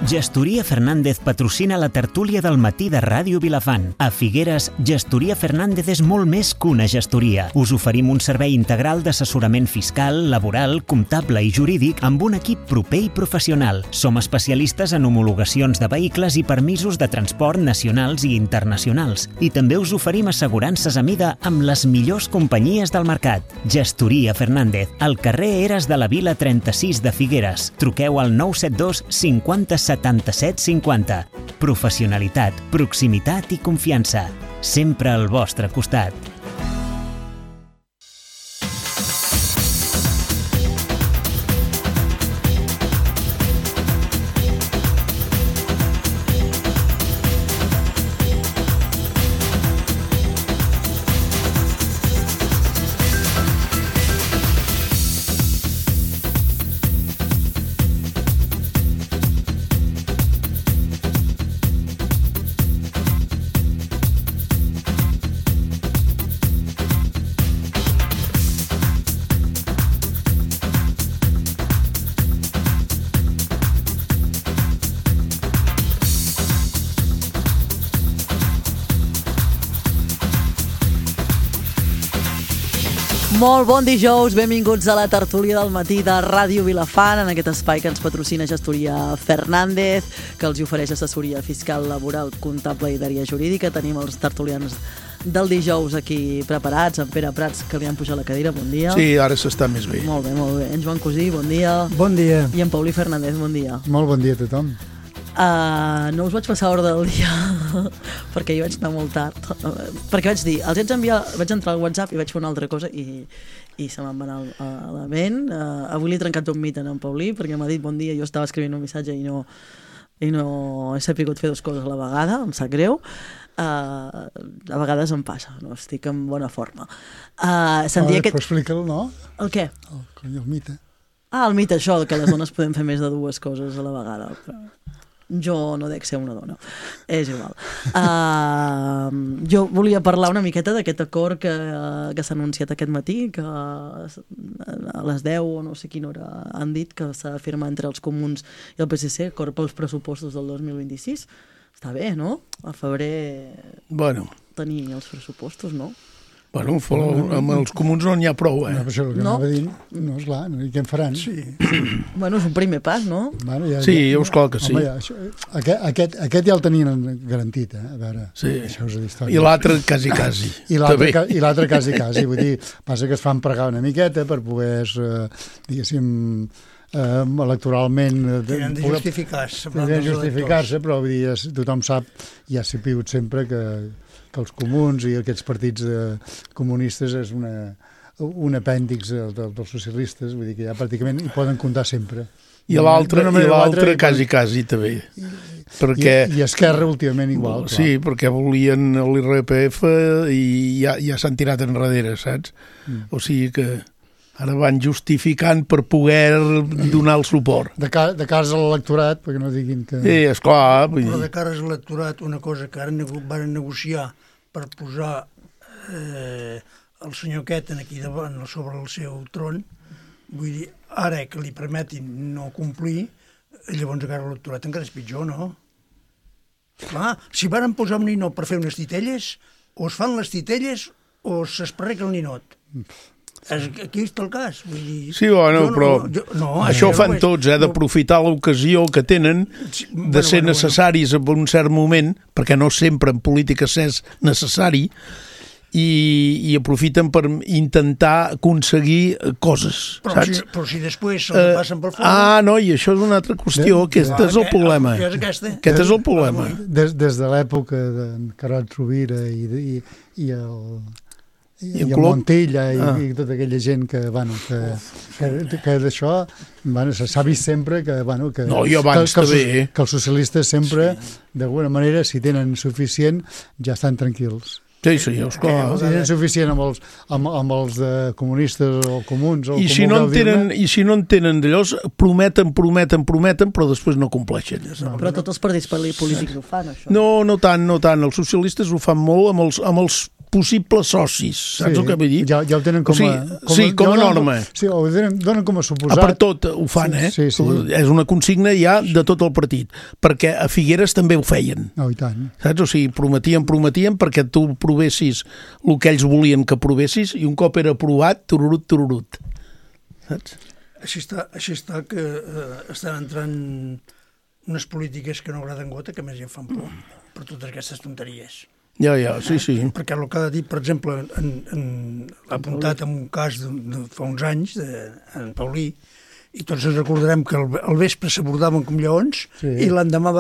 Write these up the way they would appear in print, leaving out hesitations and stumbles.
Gestoria Fernández patrocina la tertúlia del matí de Ràdio Vilafant. A Figueres, Gestoria Fernández és molt més que una gestoria. Us oferim un servei integral d'assessorament fiscal, laboral, comptable i jurídic amb un equip proper i professional. Som especialistes en homologacions de vehicles i permisos de transport nacionals i internacionals. I també us oferim assegurances a mida amb les millors companyies del mercat. Gestoria Fernández, al carrer Eres de la Vila 36 de Figueres. Truqueu al 972 50 77 50. Professionalitat, proximitat i confiança. Sempre al vostre costat. Molt bon dijous, benvinguts a la tertúlia del matí de Ràdio Vilafant, en aquest espai que ens patrocina Gestoria Fernández, que els ofereix assessoria fiscal, laboral, comptable i d'àrea jurídica. Tenim els tertulians del dijous aquí preparats, en Pere Prats, que li han pujat la cadira, bon dia. Sí, ara s'està més bé. Molt bé, molt bé. En Joan Cosí, bon dia. Bon dia. I en Paulí Fernández, bon dia. Molt bon dia a tothom. No us vaig passar a l'hora del dia perquè jo vaig anar molt tard, perquè vaig dir, els vaig enviar, vaig entrar al WhatsApp i vaig fer una altra cosa i se me'n va anar a la ment. Avui li he trencat un mit en Paulí perquè m'ha dit bon dia, jo estava escrivint un missatge i no he sapigut fer dues coses a la vegada, em sap greu. A vegades em passa, no estic en bona forma. Però explica'l, no? El què? El mite. El mite, això, que les dones podem fer més de dues coses a la vegada. Jo no dec ser una dona, és igual. Jo volia parlar una miqueta d'aquest acord que s'ha anunciat aquest matí, que a les 10 o no sé quina hora han dit que s'ha de firmar entre els comuns i el PSC, acord pels pressupostos del 2026. Està bé, no? A febrer tenir els pressupostos, no? Bueno, amb els comuns no n'hi ha prou, No, però això el que anava dient, no, esclar, i què en faran? Sí. Bueno, és un primer pas, no? Bueno, sí, esclar que sí. Home, aquest ja el tenien garantit, a veure. Sí. Això és d'història. I l'altre quasi. I l'altre quasi. Vull dir, passa que es fan pregar una miqueta per poder, diguéssim, electoralment tenen de justificar-se, però vull dir, tothom sap, ja s'ha piut sempre que els comuns i aquests partits comunistes és un apèndix dels socialistes, vull dir que ja pràcticament hi poden comptar sempre. I l'altre quasi també. I Esquerra últimament igual. Sí, perquè volien l'IRPF i ja s'han tirat enrere, saps? O sigui que ara van justificant per poder donar el suport. De cara a l'electorat, perquè no diguin que... Sí, esclar. Però de cara a l'electorat, una cosa que ara van negociar per posar el senyor Queten aquí davant sobre el seu tron, vull dir, ara que li permetin no complir, llavors de cara a l'electorat encara és pitjor, no? Clar, si varen posar un ninot per fer unes titelles, o es fan les titelles o s'esparreca el ninot. Aquí està el cas. Vull dir, sí, bueno, però això ho fan tots, d'aprofitar l'ocasió que tenen de ser necessaris en un cert moment, perquè no sempre en política és necessari, i aprofiten per intentar aconseguir coses, saps? Però si després se'l passen pel fons... No, i això és una altra qüestió, aquest és el problema. Aquest és el problema. Des de l'època d'en Carod Rovira i el Montilla i tota aquella gent que d'això s'ha vist sempre que els socialistes sempre, d'alguna manera, si tenen suficient, ja estan tranquils. Sí, esclar. Si tenen suficient amb els comunistes o comuns... I si no en tenen d'allò, prometen, però després no compleixen. Però tots els partits polítics ho fan, això. No tant. Els socialistes ho fan molt amb els possibles socis, saps el que vull dir? Ja ho tenen com a... com a norma. Sí, ho donen com a suposat. Per tot ho fan, Sí. És una consigna ja de tot el partit, perquè a Figueres també ho feien. I tant. Saps? O sigui, prometien perquè tu provessis el que ells volien que provessis i un cop era aprovat, tururut. Saps? Així està que estan entrant unes polítiques que no agraden gota, que a més ja fan por per totes aquestes tonteries. Ja, sí. Perquè el que ha dit, per exemple, l'ha apuntat en un cas de fa uns anys, en Paulí, i tots ens recordarem que al vespre s'abordaven com lleons i l'endemà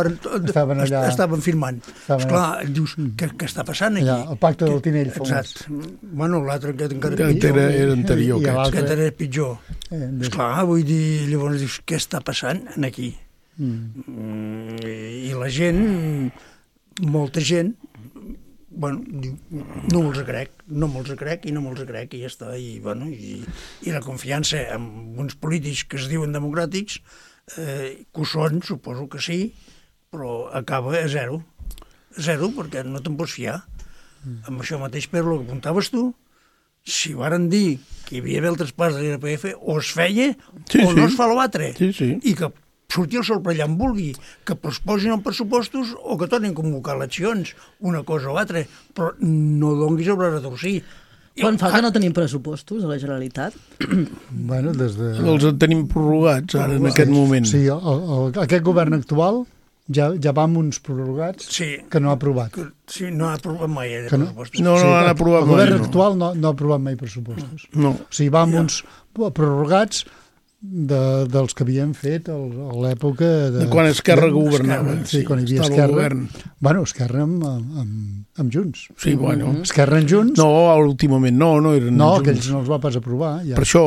estaven firmant. Esclar, dius, què està passant aquí? El pacte del Tinell famós. Exacte. Bueno, l'altre que encara era anterior. Aquest era pitjor. Esclar, vull dir, llavors dius, què està passant aquí? I la gent, molta gent, bueno, diu, no me'ls crec i ja està, i la confiança en uns polítics que es diuen democràtics, que ho són, suposo que sí, però acaba a zero, perquè no te'n pots fiar. Amb això mateix, però el que apuntaves tu, si varen dir que hi havia d'haver el traspàs de l'IRPF, o es feia o no es fa l'altre, i que sortir el sol per allà en vulgui, que posposin els pressupostos o que tornin a convocar eleccions, una cosa o altra, però no donguis el braç a torcer. Quan fa que no tenim pressupostos a la Generalitat? Bueno, des de... Els tenim prorrogats ara, en aquest moment. Sí, aquest govern actual ja va amb uns prorrogats que no ha aprovat. Sí, no ha aprovat mai pressupostos. No han aprovat mai. El govern actual no ha aprovat mai pressupostos. No. O sigui, va amb uns prorrogats dels que havien fet a l'època de quan Esquerra governava. Sí, quan hi havia Esquerra. Bueno, Esquerra amb Junts. Sí, bueno. Esquerra amb Junts. No, últimament no eren no, Junts. aquells no els va pas aprovar. Ja. Per això.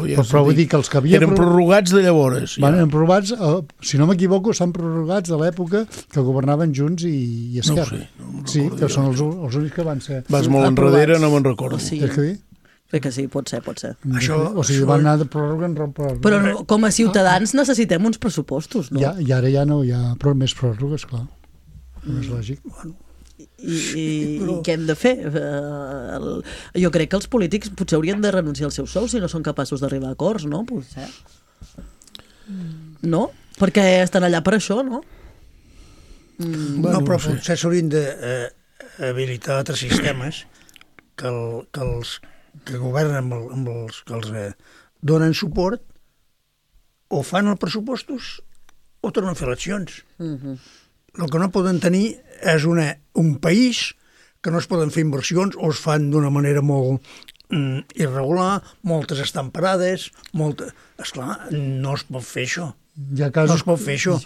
Ja però vull dir que els que havien... Eren prorrogats de llavors. Ja. Eren prorrogats, si no m'equivoco, s'han prorrogats de l'època que governaven Junts i Esquerra. No sí, que són els únics que van ser vas molt enrere, no me'n recordo. Sí. Crec que sí, pot ser. O sigui, van anar de pròrroga en pròrroga. Però com a ciutadans necessitem uns pressupostos, no? I ara ja no hi ha més pròrrogues, clar. No és lògic. I què hem de fer? Jo crec que els polítics potser haurien de renunciar als seus sous si no són capaços d'arribar a acords, no? Potser. No? Perquè estan allà per això, no? No, però potser s'haurien d'habilitar altres sistemes que governen amb els que els donen suport o fan els pressupostos o tornen a fer eleccions. El que no poden tenir és un país que no es poden fer inversions o es fan d'una manera molt irregular, moltes estan parades, esclar, no es pot fer això. No es pot fer això.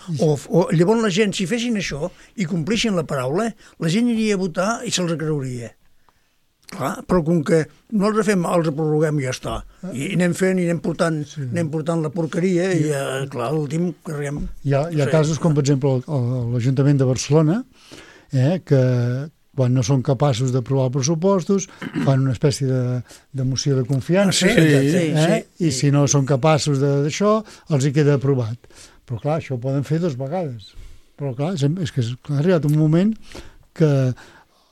O llavors la gent, si fessin això i complissin la paraula, la gent iria a votar i se'ls creuria. Clar, però com que no els fem, els prorroguem i ja està. I anem fent i anem portant la porqueria i, clar, l'últim carreguem. Hi ha casos com, per exemple, l'Ajuntament de Barcelona, que quan no són capaços d'aprovar els pressupostos fan una espècie de moció de confiança i si no són capaços d'això, els hi queda aprovat. Però clar, això ho poden fer 2 vegades. Però clar, és que ha arribat un moment que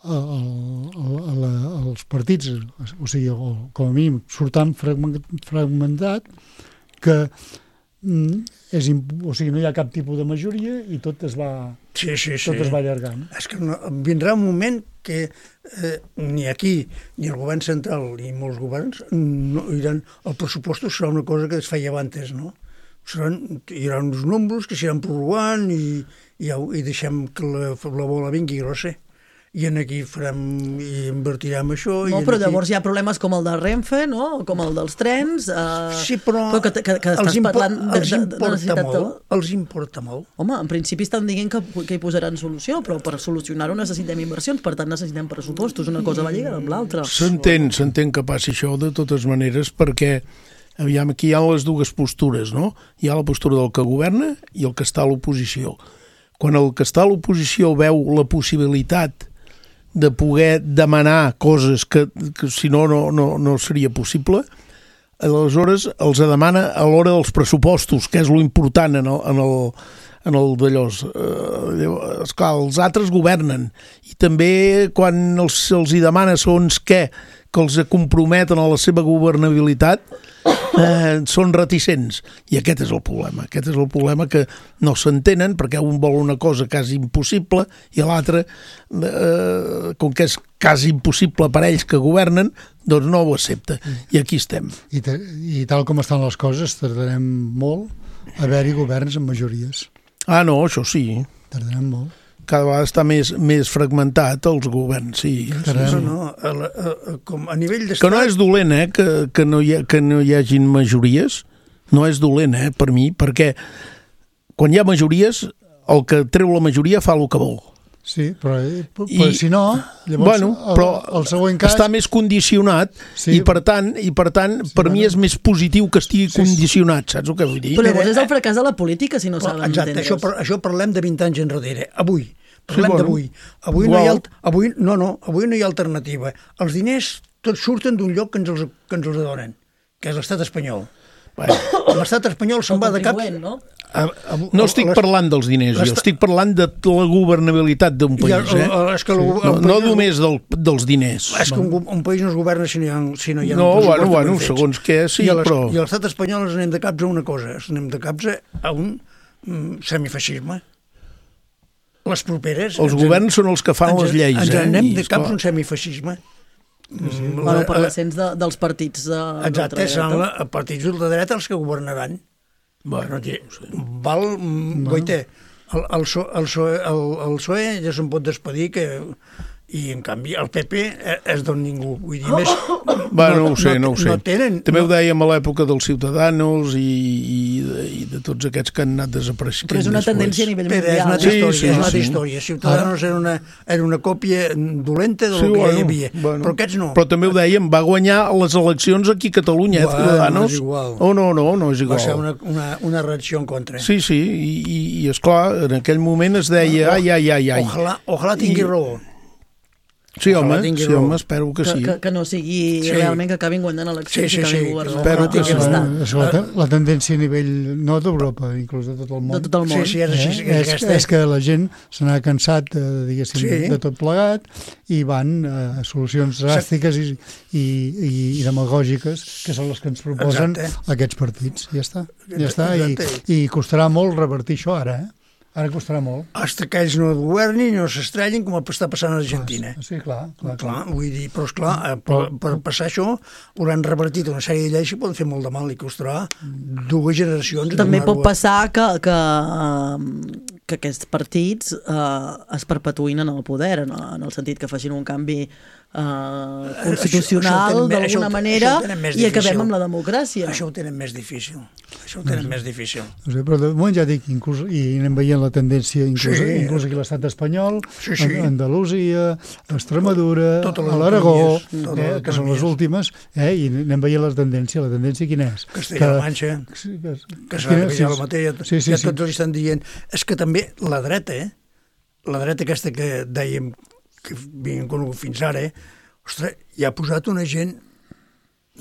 els partits, o sigui, com a mínim, surt tan fragmentat que o sigui, no hi ha cap tipus de majoria i tot es va allargant. És que vindrà un moment que ni aquí, ni el govern central, ni molts governs no diran el pressupost serà una cosa que es feia abans, no? Hi haurà uns números que s'aniran prorrogant i deixem que la bola vingui grossa. I aquí invertirem això. No, però llavors hi ha problemes com el de Renfe, no? Com el dels trens. Sí, però que estàs parlant els importa molt. Home, en principi estan dient que hi posaran solució, però per solucionar-ho necessitem inversions, per tant necessitem pressupostos. Una cosa va lligada amb l'altra. S'entén que passi això de totes maneres perquè aviam, aquí hi ha les dues postures, no? Hi ha la postura del que governa i el que està a l'oposició. Quan el que està a l'oposició veu la possibilitat de poder demanar coses que si no seria possible, aleshores els demana a l'hora dels pressupostos, que és lo important en en el d'allòs. Esclar, els altres governen, i també quan se'ls hi demana segons què, que els comprometen a la seva governabilitat, són reticents. I aquest és el problema. Aquest és el problema, que no s'entenen, perquè un vol una cosa quasi impossible i l'altre, com que és quasi impossible per ells que governen, doncs no ho accepta. I aquí estem. I tal com estan les coses, tardarem molt a haver-hi governs amb majories. Ah, no, això sí. Tardarem molt. Cada vegada està més fragmentat els governs, sí. Com a nivell d'estat... Que no és dolent, que no hi hagin majories, no és dolent, per mi, perquè quan hi ha majories, el que treu la majoria fa el que vol. Sí, però si no, llavors el següent cas... Està més condicionat, sí. i per tant, per mi és més positiu que estigui condicionat, saps el que vull dir? Però llavors és el fracàs de la política, si no saben entendre. Exacte, això parlem de 20 anys enrere. Avui, parlem d'avui. Avui no hi ha alternativa. Els diners tots surten d'un lloc que ens els donen, que és l'estat espanyol. L'estat espanyol se'n va de cap... No estic parlant dels diners, jo estic parlant de la governabilitat d'un país, no només dels diners. És que un país no es governa si no hi ha... No, bueno, segons què, sí, però... I a l'estat espanyol ens anem de caps a una cosa, ens anem de caps a un semifeixisme. Les properes... Els governs són els que fan les lleis, Ens anem de caps a un semifeixisme. Bueno, per l'ascens dels partits exacte, seran partits d'ultradreta els que governaran. Bueno, el PSOE ja se'n pot despedir, i en canvi el PP és d'on ningú, vull dir, més... No ho sé. També ho dèiem a l'època dels Ciutadanos i de tots aquests que han anat desapareixent. Però és una tendència a nivell mundial. És una altra història. Ciutadanos era una còpia dolenta del que hi havia, però aquests no. Però també ho dèiem, va guanyar les eleccions aquí a Catalunya, Ciudadanos. No és igual. Va ser una reacció en contra. Sí, i esclar, en aquell moment es deia ai. Ojalà tingui raó. Sí, home, espero que sí. Que no sigui realment que acabin guanyant eleccions i que acabin governant. Espero que sí. La tendència a nivell, no d'Europa, inclús de tot el món. De tot el món. Sí, és així. És que la gent se n'ha cansat, diguéssim, de tot plegat, i van a solucions dràstiques i demagògiques, que són les que ens proposen aquests partits. Ja està. I costarà molt revertir això ara, Ara costarà molt. Hasta que ells no governin i no s'estrellin, com està passant a Argentina. Sí, clar. Vull dir, però esclar, per passar això, hauran revertit una sèrie de lleis que poden fer molt de mal i costarà 2 generacions. També pot passar que aquests partits es perpetuïn en el poder, en el sentit que facin un canvi constitucional d'alguna manera i acabem amb la democràcia. Això ho tenen més difícil. No sé, però de moment ja dic, inclús, i anem veient la tendència inclús aquí a l'estat espanyol, Andalusia, Extremadura, a l'Aragó, que són les últimes, i anem veient la tendència. La tendència quina és? Castella-La Manxa, que serà la mateixa, ja tots els estan dient. És que també la dreta aquesta que dèiem que havien conegut fins ara, ostres, hi ha posat una gent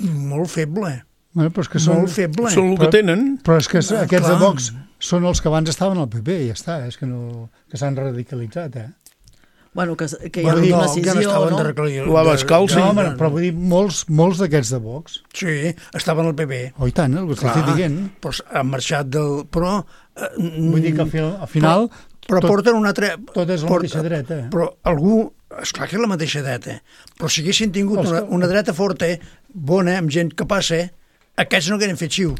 molt feble. Però és que molt feble. Són el que tenen. Però és que aquests de Vox són els que abans estaven al PP, ja està, és que s'han radicalitzat, Bueno, que hi ha una decisió, no? La Bascal, sí. No, però vull dir, molts d'aquests de Vox. Sí, estaven al PP. Oh, i tant, el que estic dient. Però han marxat del... Però... Vull dir que al final... Però porten una altra... Tot és la mateixa dreta. Però algú... Esclar que és la mateixa dreta. Però si haguessin tingut una dreta forta, bona, amb gent que passa, aquests no hagueren fet xiu.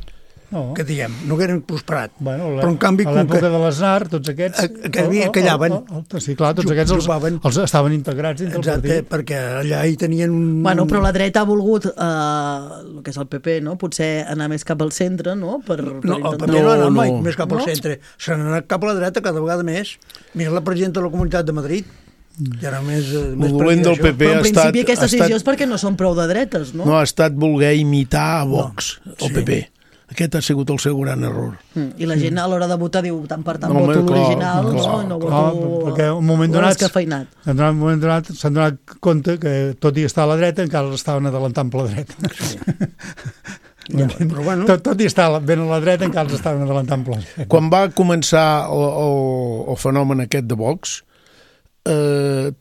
Que diguem, no hagueren prosperat. Però en canvi... A l'època de l'Aznar, tots aquests... Callaven. Sí, clar, tots aquests els estaven integrats dins del partit. Exacte, perquè allà hi tenien un... Bueno, però la dreta ha volgut, el que és el PP, no? Potser anar més cap al centre, no? No, el PP no ha anat mai més cap al centre. S'han anat cap a la dreta cada vegada més. Mira la presidenta de la Comunitat de Madrid, i ara més el dolent del PP però en principi aquesta decisió és perquè no són prou de dretes, no? No, ha estat voler imitar a Vox, el PP. Aquest ha sigut el seu gran error. I la gent a l'hora de votar diu tant per tant voto l'original, no voto l'escafeinat. En un moment donat s'han donat compte que tot i estar a la dreta encara l'estaven adelantant per la dreta. Però bueno, Tot i estar ben a la dreta, encara els estaven adelantant pla. Quan va començar el fenomen aquest de Vox,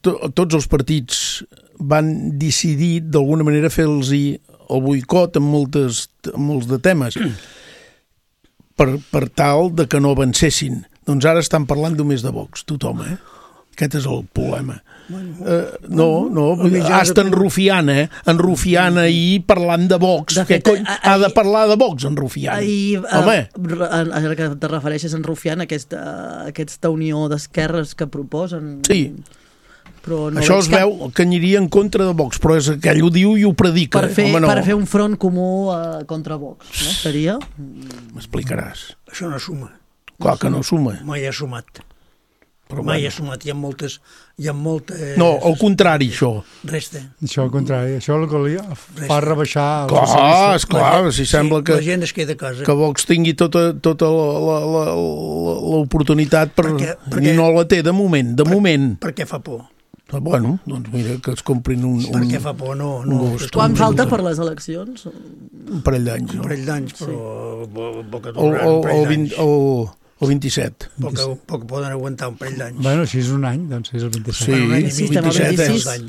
tots els partits van decidir d'alguna manera fer-los el boicot en molts de temes per tal de que no avancessin. Doncs ara estan parlant només de Vox, tothom, Aquest és el problema. Hasta en Rufián ahir parlant de Vox. Què cony ha de parlar de Vox, en Rufián? Ara que te refereixes en Rufián, aquesta unió d'esquerres que proposen... Sí. Però no això es veu que aniria en contra de Vox, però és que ell ho diu i ho predica. Per fer un front comú contra Vox, no? Seria? M'explicaràs. això no suma. Clar que no suma. Mai ha sumat. Però Mai ha sumat. Hi ha moltes... No, al contrari, això. Resta. Això al contrari. Això el que li fa rebaixar... Esclar, si sembla que... La gent es queda a casa. Que Vox tingui tota l'oportunitat i no la té de moment. Perquè fa por. Bueno, doncs mira, que es comprin un Perquè fa por, no. Quan falta per les eleccions? Un parell d'anys. Un parell d'anys, però poc durant, un parell d'anys. El 27. Poc poden aguantar un parell d'anys. Bueno, així és un any, doncs és el 27. Sí, un any i mig, 27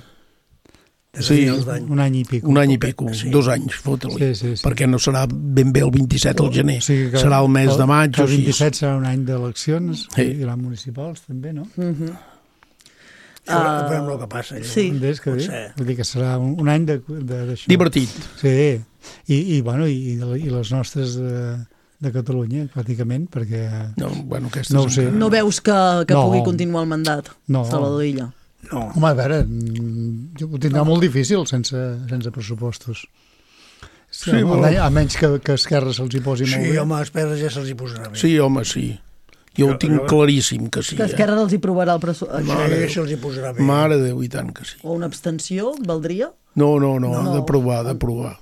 Sí, un any i pico. Un any i pico, 2 anys, fota-li. Sí. Perquè no serà ben bé el 27 al gener. Serà el mes de maig. El 27 serà un any d'eleccions, i les municipals també, no? Veurem el que passa. Sí. Vull dir que serà un any d'això. Divertit. Sí, i les nostres de Catalunya, pràcticament, perquè... No ho sé. No veus que pugui continuar el mandat, Salvador Illa? No. Home, a veure, ho tindrà molt difícil sense pressupostos. Sí, a menys que Esquerra se'ls hi posi molt bé. Sí, home, a Esquerra ja se'ls hi posarà bé. Sí, home, sí. Jo ho tinc claríssim que sí. Que Esquerra els hi provarà el pressupost. Això se'ls hi posarà bé. Mare de Déu, i tant que sí. O una abstenció, valdria? No, ha de provar.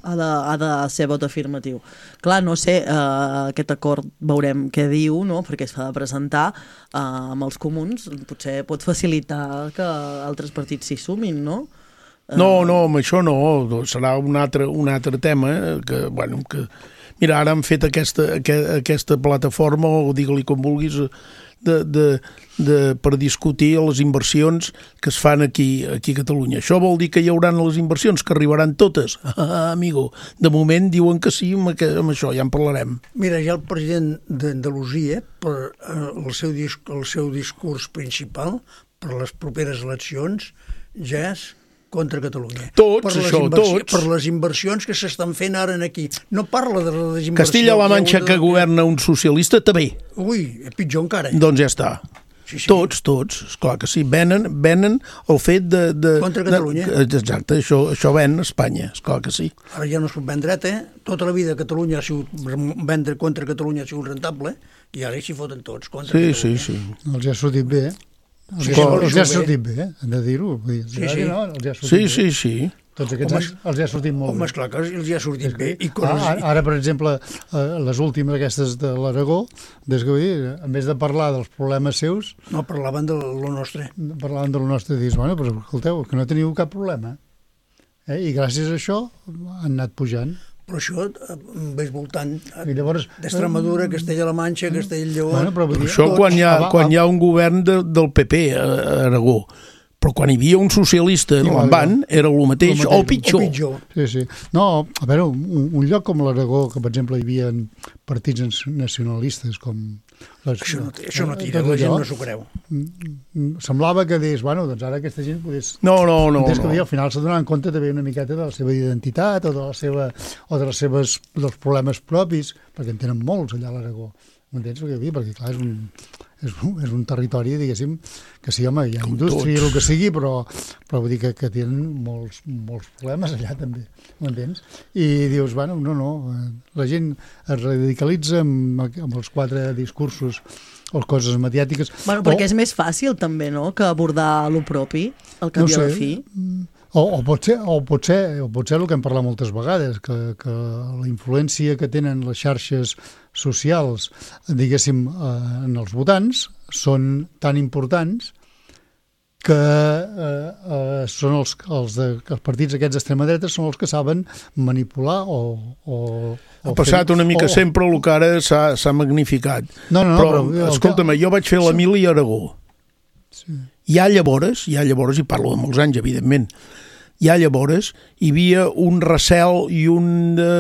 Ha de ser vot afirmatiu. Clar, no sé, aquest acord veurem què diu, no? Perquè es fa de presentar amb els comuns, potser pot facilitar que altres partits s'hi sumin, no? No, amb això no, serà un altre tema que, mira, ara han fet aquesta plataforma, o digue-li com vulguis, per discutir les inversions que es fan aquí a Catalunya. Això vol dir que hi haurà les inversions, que arribaran totes. Amigo, de moment diuen que sí, amb això ja en parlarem. Mira, ja el president d'Andalusia, per el seu discurs principal, per les properes eleccions, ja és contra Catalunya. Tots. Per les inversions que s'estan fent ara aquí. No parla de les inversions... Castilla-La Manxa, que governa un socialista, també. Ui, pitjor encara. Doncs ja està. Sí. Tots, esclar que sí. Venen el fet de... Contra Catalunya. Exacte, això ven a Espanya, esclar que sí. Ara ja no es pot vendre, Tota la vida Catalunya ha sigut... Vendre contra Catalunya ha sigut rentable, i ara s'hi foten tots contra Catalunya. Sí. Els ha sortit bé, Els ja ha sortit bé, hem de dir-ho. Sí. Tots aquests anys els ha sortit molt bé. Home, esclar que els ha sortit bé. Ara, per exemple, les últimes aquestes de l'Aragó, en vez de parlar dels problemes seus... No, parlaven de lo nostre. Parlaven de lo nostre, i dius, però escolteu, que no teniu cap problema. I gràcies a això han anat pujant. Però això ves voltant d'Extremadura, Castella-La Manxa, Castell-Lleó... Però això quan hi ha un govern del PP a Aragó. Però quan hi havia un socialista l'Envan era el mateix o pitjor. Sí. No, a veure, un lloc com l'Aragó, que per exemple hi havia partits nacionalistes com... Això no tira, la gent no s'ho creu. Semblava que deies, doncs ara aquesta gent podés... No. Al final s'ha donat compte també una miqueta de la seva identitat o dels problemes propis, perquè en tenen molts allà a l'Aragó. M'entens? Perquè clar, és un territori, diguéssim, que sí, home, hi ha indústria, el que sigui, però vull dir que tenen molts problemes allà també, m'entens? I dius, la gent es radicalitza amb els 4 discursos o coses mediàtiques. Perquè és més fàcil també, no?, que abordar lo propi, al cap i a la fi. O potser el que hem parlat moltes vegades, que la influència que tenen les xarxes socials, diguéssim, en els votants, són tan importants que són els partits aquests d'extrema dreta són els que saben manipular o ha passat una mica sempre el que ara s'ha magnificat. Però escolta'm, jo vaig fer l'Emili Aragó. Ja llavors, i parlo de molts anys, evidentment, hi havia un recel i una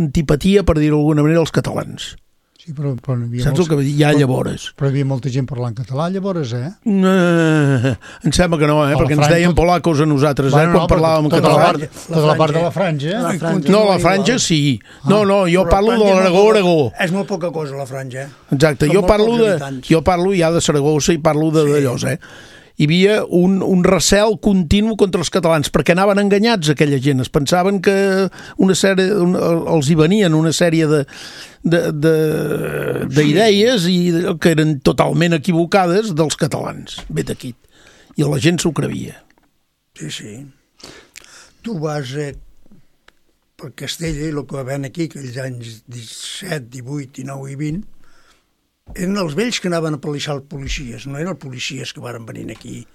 antipatia, per dir-ho d'alguna manera, als catalans. Sí, però saps el que vull dir? Llavors. Però hi havia molta gent parlant català, llavors, Em sembla que no, perquè ens deien polacos a nosaltres, quan parlàvem català. Tota la part de la franja. No, la franja sí. No, jo parlo de l'Aragó. És molt poca cosa, la franja. Exacte, jo parlo ja de Saragossa i parlo d'allò, Hi havia un recel continu contra els catalans, perquè anaven enganyats aquella gent. Es pensaven que els hi venien una sèrie d'idees i que eren totalment equivocades dels catalans, vet aquí. I la gent s'ho creia. Sí. Tu vas per Castella i el que va haver aquí, aquells anys 17, 18, 19 i 20, eren els vells que anaven a policiar els policies, no eren els policies que varen venir aquí.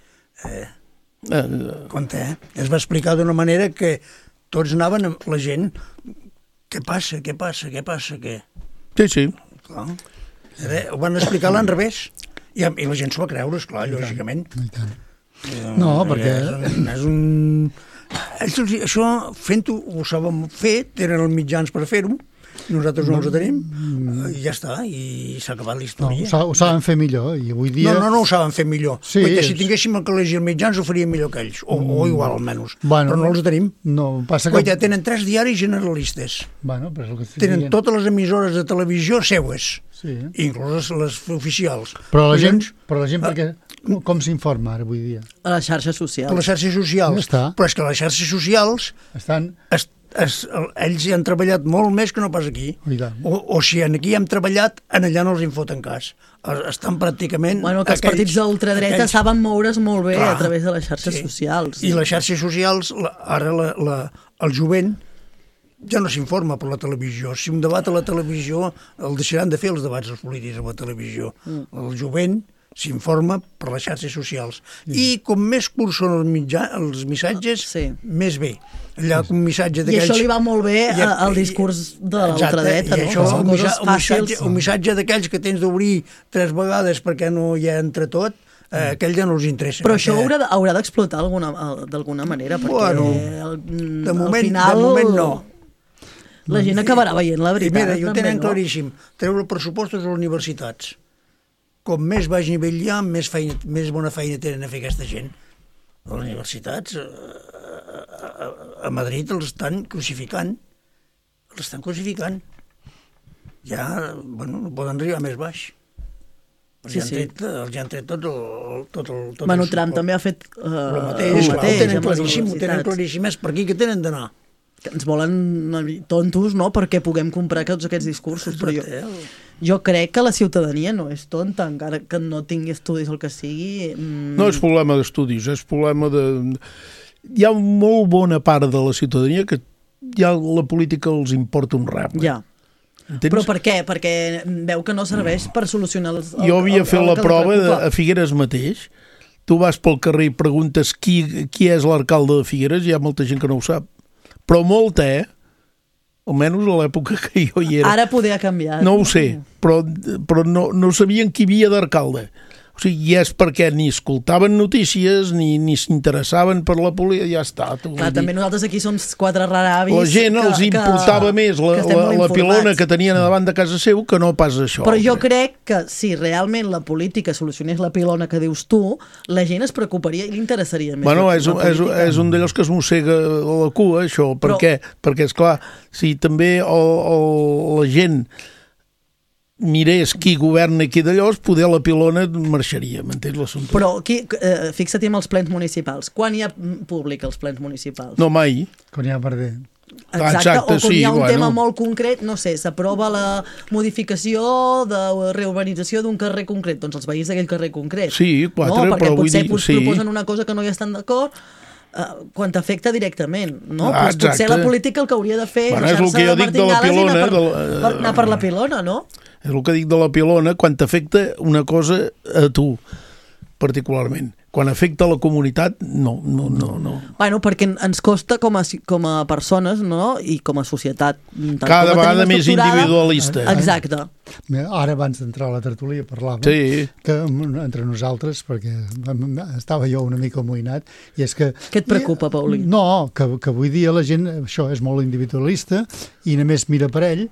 Compte, Es va explicar d'una manera que tots anaven amb la gent. Què passa? Sí. Clar. Ho van explicar a l'enrevés. I la gent s'ho va creure, esclar, lògicament. No, perquè... Això, fent-ho, ho saben fer, tenen els mitjans per fer-ho, nosaltres no els tenim, i ja està, i s'ha acabat la història. Ho saben fer millor, i avui dia... No ho saben fer millor. Sí, perquè si tinguéssim el col·legi els mitjans ho faríem millor que ells, o igual almenys, però no els tenim. Passa que... Tenen 3 diaris generalistes, però és el que tenen totes les emissores de televisió seues, inclús les oficials. Però la gent perquè... Com s'informa ara avui dia? A les xarxes socials. A les xarxes socials. Però és que les xarxes socials ells hi han treballat molt més que no pas aquí. O si aquí hem treballat, allà no els en foten cas. Estan pràcticament... Que els partits d'ultradreta saben moure's molt bé a través de les xarxes socials. I les xarxes socials, ara el jovent ja no s'informa per la televisió. Si un debat a la televisió, el deixaran de fer els debats els polítics a la televisió. El jovent s'informa per les xarxes socials. I com més curts són els missatges, més bé. Allà un missatge d'aquells... I això li va molt bé al discurs de l'ultradreta, no? Un missatge d'aquells que tens d'obrir 3 vegades perquè no hi ha entre tot, aquell ja no els interessa. Però això haurà d'explotar d'alguna manera, perquè de moment no. La gent acabarà veient la veritat. Mira, ho tenen claríssim. Treure pressupostos a les universitats. Com més baix nivell hi ha, més bona feina tenen a fer aquesta gent. A les universitats, a Madrid els estan crucificant. Ja, no poden arribar més baix. Els han tret tot el... Trump també ha fet el mateix. Ho tenen claríssim. És per aquí que tenen d'anar. Ens volen tontos, no?, perquè puguem comprar tots aquests discursos, però jo crec que la ciutadania no és tonta, encara que no tingui estudis el que sigui. No és problema d'estudis, és problema de... Hi ha molt bona part de la ciutadania que ja la política els importa un rap. Ja. Però per què? Perquè veu que no serveix per solucionar Jo havia fet la prova a Figueres mateix. Tu vas pel carrer i preguntes qui és l'alcalde de Figueres, hi ha molta gent que no ho sap. Però molta, almenys a l'època que jo hi era. Ara poder ha canviat. No ho sé, però no sabien qui havia d'alcalde. O sigui, i és perquè ni escoltaven notícies, ni s'interessaven per la política, ja està. Clar, també nosaltres aquí som 4 raravis. La gent els importava més la pilona que tenien davant de casa seu que no pas això. Però jo crec que si realment la política solucionés la pilona que dius tu, la gent es preocuparia i li interessaria més. Bueno, és un d'allòs que es mossega la cua, això. Per què? Perquè, esclar, si també la gent mirés qui governa i qui d'allò, poder la pilona marxaria, m'entens l'assumpte? Però fixa't amb els plens municipals. Quan hi ha públic als plens municipals? No, mai. Quan hi ha perder. Exacte, o quan hi ha un tema molt concret, no sé, s'aprova la modificació de reurbanització d'un carrer concret, doncs els veïns d'aquell carrer concret. Sí, 4, no? Perquè però vull dir... potser proposen una cosa que no hi estan d'acord, quan t'afecta directament, no? Potser la política el que hauria de fer és deixar-se de martingales i anar per la pilona, no? És el que dic de la pilona, quan t'afecta una cosa a tu, particularment. quan afecta la comunitat, no. Bueno, perquè ens costa com a persones, no?, i com a societat. Cada vegada més individualista. Exacte. Ara, abans d'entrar a la tertúlia, parlàvem que entre nosaltres, perquè estava jo una mica amoïnat, i és que... Què et preocupa, Paulí? No, que avui dia la gent, això és molt individualista, i només mira per ell,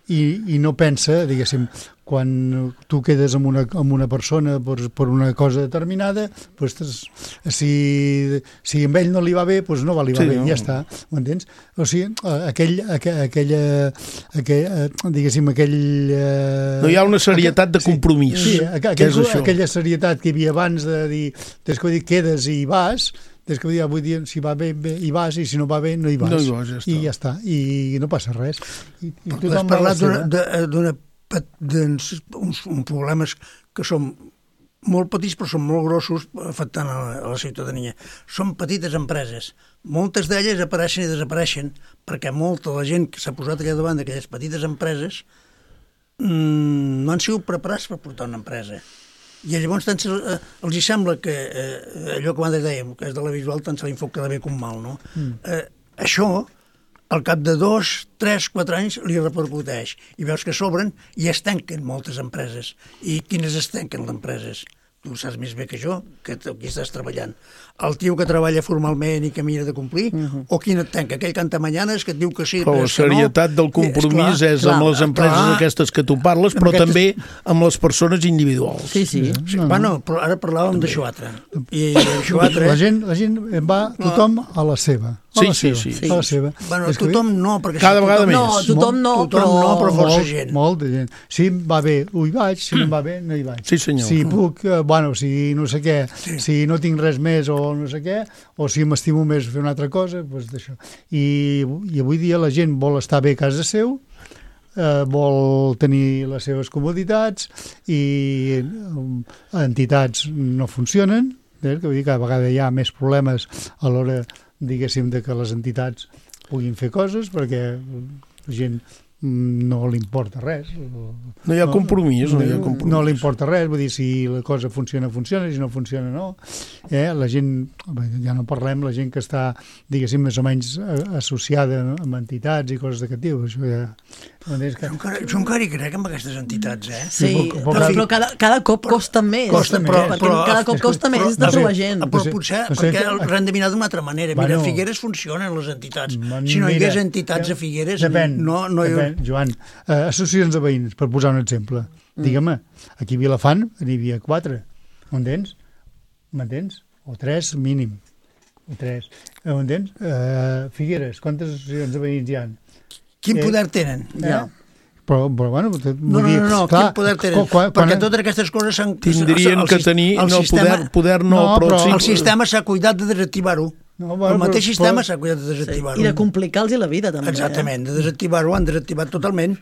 i no pensa, diguéssim, quan tu quedes amb una persona per una cosa determinada, doncs, si amb ell no li va bé, doncs no li va bé, ja està, m'entens? O sigui, diguéssim, no hi ha una serietat de compromís. Sí, aquella serietat que hi havia abans de dir, des que quedes i vas, des que vull dir, si va bé, hi vas, i si no va bé, no hi vas. No hi vas, I ja està, i no passa res. Has parlat d'uns problemes que són molt petits però són molt grossos afectant a la ciutadania. Són petites empreses. Moltes d'elles apareixen i desapareixen perquè molta de la gent que s'ha posat allà davant d'aquelles petites empreses no han sigut preparats per portar una empresa. I llavors els hi sembla que allò que abans dèiem, que és de la visual, tant se li fot quedar bé com mal, no? Això, al cap de 2, 3, 4 anys, li repercuteix. I veus que s'obren i es tanquen moltes empreses. I quines es tanquen les empreses? Tu saps més bé que jo, que aquí estàs treballant. El tio que treballa formalment i que mira de complir, o quin et tanca? Aquell cantamanyanes que et diu que sí, però la serietat del compromís és amb les empreses aquestes que tu parles, però també amb les persones individuals. Sí. Bueno, però ara parlàvem d'això altre. I això altre... La gent va tothom a la seva. Sí. A la seva. Bueno, tothom no, perquè... Cada vegada més. No, tothom no, però força gent. Molta gent. Si em va bé, hi vaig, si no em va bé, no hi vaig. Sí, senyor. Si puc, si no sé què, si no tinc res més o no sé què, o si m'estimo més fer una altra cosa, doncs d'això. I avui dia la gent vol estar bé a casa seu, vol tenir les seves comoditats, i entitats no funcionen, que vull dir que cada vegada hi ha més problemes a l'hora, diguéssim, de que les entitats puguin fer coses, perquè la gent no li importa res. No hi ha compromís. No li importa res, vull dir, si la cosa funciona, si no funciona, no. La gent, ja no parlem, la gent que està, diguéssim, més o menys associada amb entitats i coses d'aquest tipus. Això ja... Jo encara hi crec amb aquestes entitats, Sí, però cada cop costa més. Cada cop costa més de trobar gent. Però potser perquè els han de mirar d'una altra manera. Mira, a Figueres funcionen les entitats. Si no hi hagués entitats a Figueres, no hi hauria... Joan, associacions de veïns, per posar un exemple. Digue'm, aquí a Vilafant n'hi havia 4. M'entens? O 3 mínim. M'entens? Figueres, quantes associacions de veïns hi ha? Quin poder tenen? Però bueno... No, quin poder tenen? Perquè totes aquestes coses s'han... Tindrien que tenir... Poder no, però... El sistema s'ha cuidat de desactivar-ho. El mateix sistema s'ha cuidat de desactivar-ho. I de complicar-los la vida, també. Exactament, de desactivar-ho, han desactivat totalment.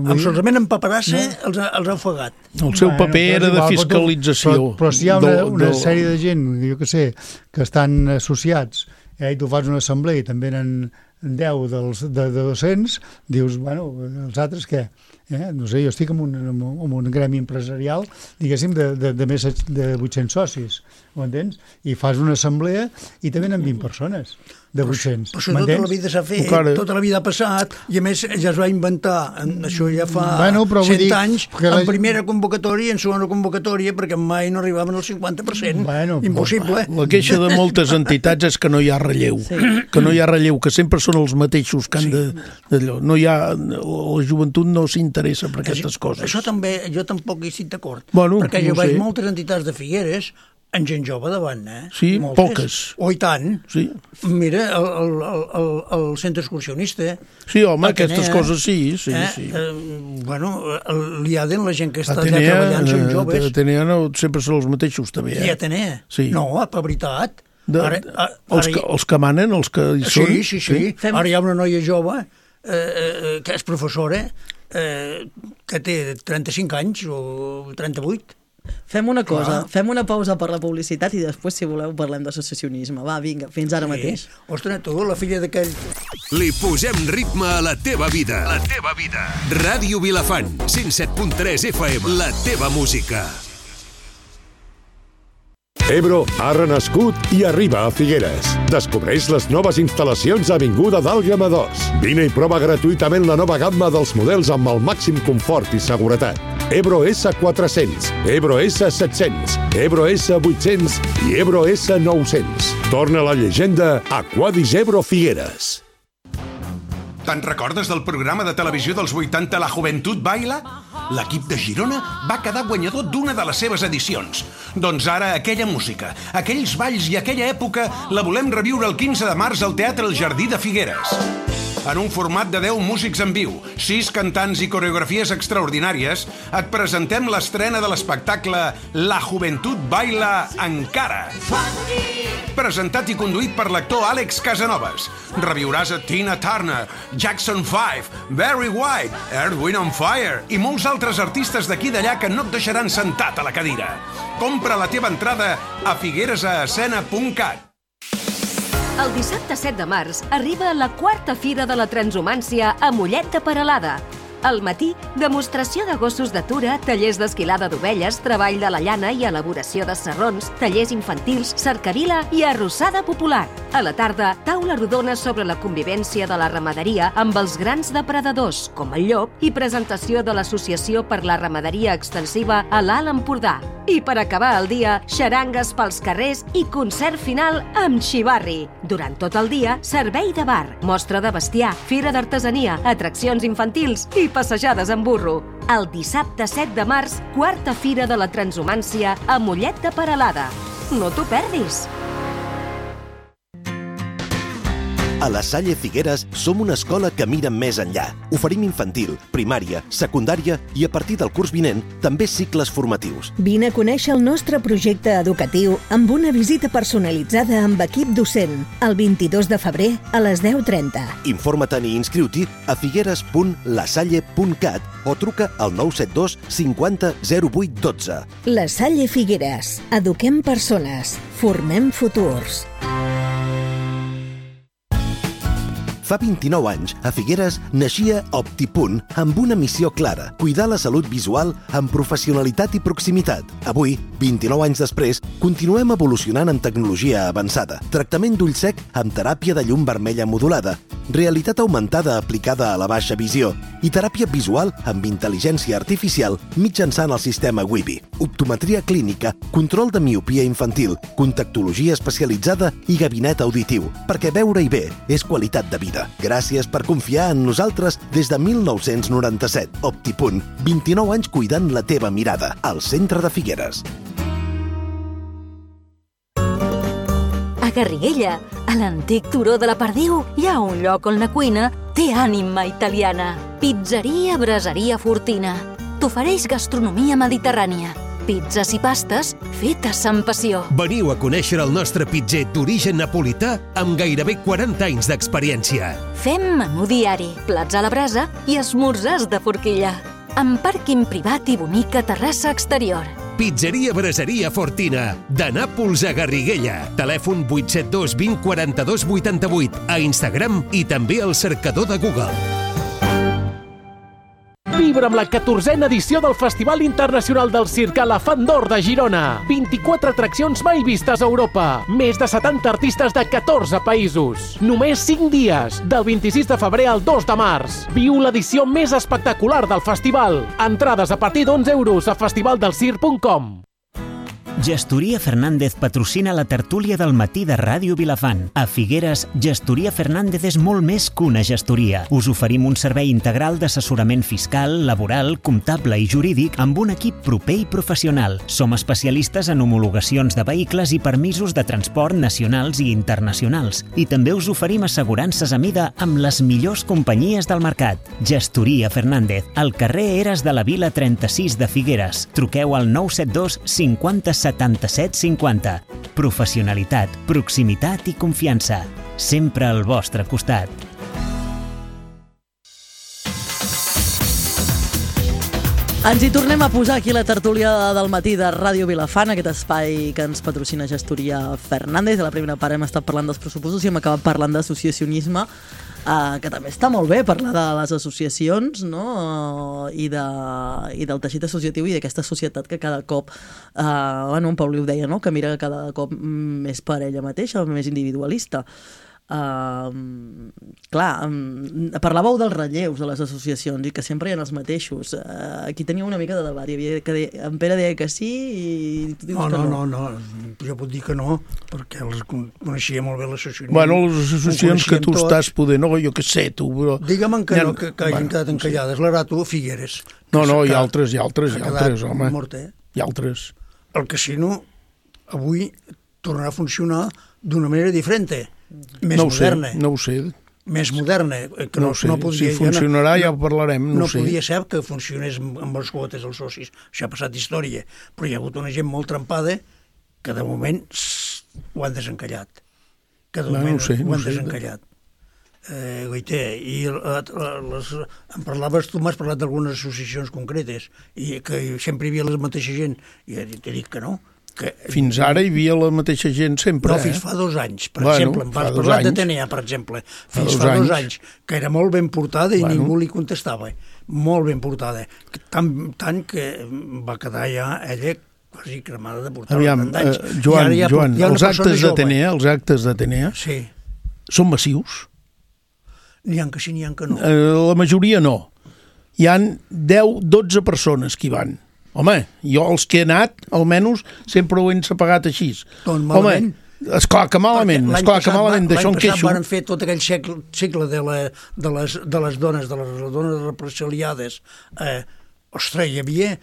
Absolutament en paperassa els ha ofegat. El seu paper era de fiscalització. Però si hi ha una sèrie de gent, jo què sé, que estan associats, i tu fas una assemblea i també eren 10 de 200, dius, bueno, els altres què? No sé, jo estic en un gremi empresarial, diguéssim, de més de 800 socis, ho entens? I fas una assemblea i també venen 20 persones de 800. Però això tota la vida s'ha fet, tota la vida ha passat, i a més ja es va inventar, això ja fa 100 anys, en primera convocatòria i en segona convocatòria, perquè mai no arribaven al 50%. Impossible. La queixa de moltes entitats és que no hi ha relleu, que sempre són els mateixos que han d'allò. La joventut no s'interessa per aquestes coses. Això també, jo tampoc hi estic d'acord, perquè jo veig moltes entitats de Figueres en gent jove davant, Sí, poques. O i tant. Sí. Mira, el centre excursionista. Sí, home, aquestes coses sí. Bueno, l'IADEN, la gent que està allà treballant, són joves. Atenea sempre són els mateixos, també. I Atenea? Sí. No, per veritat. Els que manen, els que hi són. Sí. Ara hi ha una noia jove que és professora, que té 35 anys o 38. Fem una cosa, fem una pausa per la publicitat i després, si voleu, parlem d'associacionisme. Va, vinga, fins ara mateix. Ostres, tu, la filla d'aquell... Li posem ritme a la teva vida. La teva vida. Ràdio Vilafant, 107.3 FM. La teva música. Ebro ha renascut i arriba a Figueres. Descobreix les noves instal·lacions a Avinguda d'Àlguema 2. Vine i prova gratuïtament la nova gamma dels models amb el màxim confort i seguretat. Ebro S400, Ebro S700, Ebro S800 i Ebro S900. Torna a la llegenda Aquadis Ebro Figueres. Te'n recordes del programa de televisió dels 80 La Juventud Baila? L'equip de Girona va quedar guanyador d'una de les seves edicions. Doncs ara aquella música, aquells balls i aquella època la volem reviure el 15 de març al Teatre El Jardí de Figueres. En un format de 10 músics en viu, 6 cantants i coreografies extraordinàries, et presentem l'estrena de l'espectacle La Juventud Baila Encara. Presentat i conduït per l'actor Àlex Casanovas. Reviuràs a Tina Turner, Jackson 5, Barry White, Earth, Wind and Fire i molts altres artistes d'aquí i d'allà que no et deixaran sentat a la cadira. Compra la teva entrada a figueresascena.cat. El dissabte 7 de març arriba la 4a Fira de la Transhumància a Mollet de Peralada. Al matí, demostració de gossos d'atura, tallers d'esquilada d'ovelles, treball de la llana i elaboració de sarrons, tallers infantils, cercavila i arrossada popular. A la tarda, taula rodona sobre la convivència de la ramaderia amb els grans depredadors, com el llop, i presentació de l'Associació per la Ramaderia Extensiva a l'Alt Empordà. I per acabar el dia, xarangues pels carrers i concert final amb xivarri. Durant tot el dia, servei de bar, mostra de bestiar, fira d'artesania, atraccions infantils i passejades en burro. El dissabte 7 de març, 4a Fira de la Transhumància a Mollet de Peralada. No t'ho perdis! A la Salle Figueres som una escola que mira més enllà. Oferim infantil, primària, secundària i a partir del curs vinent també cicles formatius. Vine a conèixer el nostre projecte educatiu amb una visita personalitzada amb equip docent el 22 de febrer a les 10:30. Informa-te'n i inscriu-t'hi a figueres.lasalle.cat o truca al 972 50 08 12. La Salle Figueres. Eduquem persones. Formem futurs. Fa 29 anys, a Figueres naixia Optipunt amb una missió clara, cuidar la salut visual amb professionalitat i proximitat. Avui, 29 anys després, continuem evolucionant amb tecnologia avançada, tractament d'ull sec amb teràpia de llum vermella modulada, realitat augmentada aplicada a la baixa visió i teràpia visual amb intel·ligència artificial mitjançant el sistema Wibi, optometria clínica, control de miopia infantil, contactologia especialitzada i gabinet auditiu, perquè veure-hi bé és qualitat de vida. Gràcies per confiar en nosaltres des de 1997. Optipunt, 29 anys cuidant la teva mirada, al centre de Figueres. A Garriguella, a l'antic turó de la Perdiu, hi ha un lloc on la cuina té ànima italiana. Pizzeria Braseria Fortina. T'ofereix gastronomia mediterrània. Pizzas i pastes fetes amb passió. Veniu a conèixer el nostre pitzer d'origen napolità amb gairebé 40 anys d'experiència. Fem menú diari, plats a la brasa i esmorzars de forquilla. Amb pàrquing privat i bonica terrassa exterior. Pizzeria Braseria Fortina, de Nàpols a Garriguella. Telèfon 872 20 42 88, a Instagram i també al cercador de Google. Vibra amb la 14a edició del Festival Internacional del Circ a la Font d'Or de Girona. 24 atraccions mai vistes a Europa. Més de 70 artistes de 14 països. Només 5 dies, del 26 de febrer al 2 de març. Viu l'edició més espectacular del festival. Entrades a partir d'11 € a festivaldelscirc.com. Gestoria Fernández patrocina la tertúlia del matí de Ràdio Vilafant. A Figueres, Gestoria Fernández és molt més que una gestoria. Us oferim un servei integral d'assessorament fiscal, laboral, comptable i jurídic amb un equip proper i professional. Som especialistes en homologacions de vehicles i permisos de transport nacionals i internacionals. I també us oferim assegurances a mida amb les millors companyies del mercat. Gestoria Fernández, al carrer Eres de la Vila 36 de Figueres. Truqueu al 972 50 77 50. Professionalitat, proximitat i confiança. Sempre al vostre costat. Ens hi tornem a posar aquí la tertúlia del matí de Ràdio Vilafant, aquest espai que ens patrocina Gestoria Fernández. A la primera part hem estat parlant dels pressupostos i hem acabat parlant d'associacionisme. que també està molt bé parlar de les associacions, no? I del teixit associatiu i d'aquesta societat que cada cop, en Pauli ho deia, no? Que mira cada cop més per ella mateixa, més individualista. Clar, parlàveu dels relleus de les associacions i que sempre hi ha els mateixos. Aquí tenia una mica de debat. En Pere deia que sí i tu dius que no. No, jo puc dir que no, perquè els coneixia molt bé l'associació. Bueno, les associacions que tu estàs podent, jo què sé, tu, però... Digue'm que no, que hagin quedat encallades. L'Arato, Figueres. No, hi ha altres, home. Hi ha altres. El casino avui tornarà a funcionar d'una manera diferent. Més moderna. No ho sé. Més moderna. Que no podria, si funcionarà ja ho parlarem, no sé. No podia ser que funcionés amb les quotes dels socis. Això ha passat d'història. Però hi ha hagut una gent molt trempada que de moment ho han desencallat. Que de moment ho han desencallat. Goité, i em parlaves, tu m'has parlat d'algunes associacions concretes i que sempre hi havia la mateixa gent. I t'he dit que no. Fins ara hi havia la mateixa gent sempre. No, fins fa 2 anys, per exemple. Em vas parlar de TNA, per exemple. Fins fa 2 anys, que era molt ben portada i ningú li contestava. Molt ben portada. Tant que va quedar ja ella quasi cremada de portar tant d'anys. Joan, els actes de TNA són massius? N'hi ha que sí, n'hi ha que no. La majoria no. Hi han 10-12 persones que hi van. Home, jo els que he anat, almenys, sempre ho hem pagat així. Doncs malament. Home, esclar que malament, d'això en queixo. L'any passat van fer tot aquell cicle de les dones represaliades. Ostres, hi havia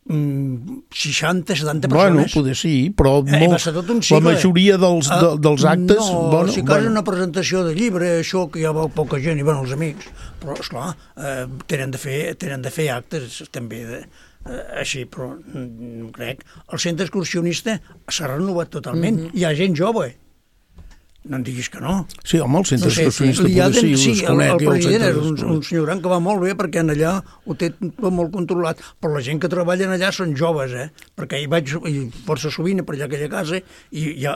60-70 persones. Bueno, poder sí, però la majoria dels actes... No, si cal una presentació de llibre, això que hi ha poca gent, i els amics, però, esclar, tenen de fer actes també així, però no crec. El centre excursionista s'ha renovat totalment. Hi ha gent jove. No em diguis que no. Sí, home, el centre excursionista poder sí, sí, el president és un senyor gran que va molt bé perquè en allà ho té tot molt controlat, però la gent que treballa allà són joves, perquè hi vaig força sovint per allà a aquella casa i hi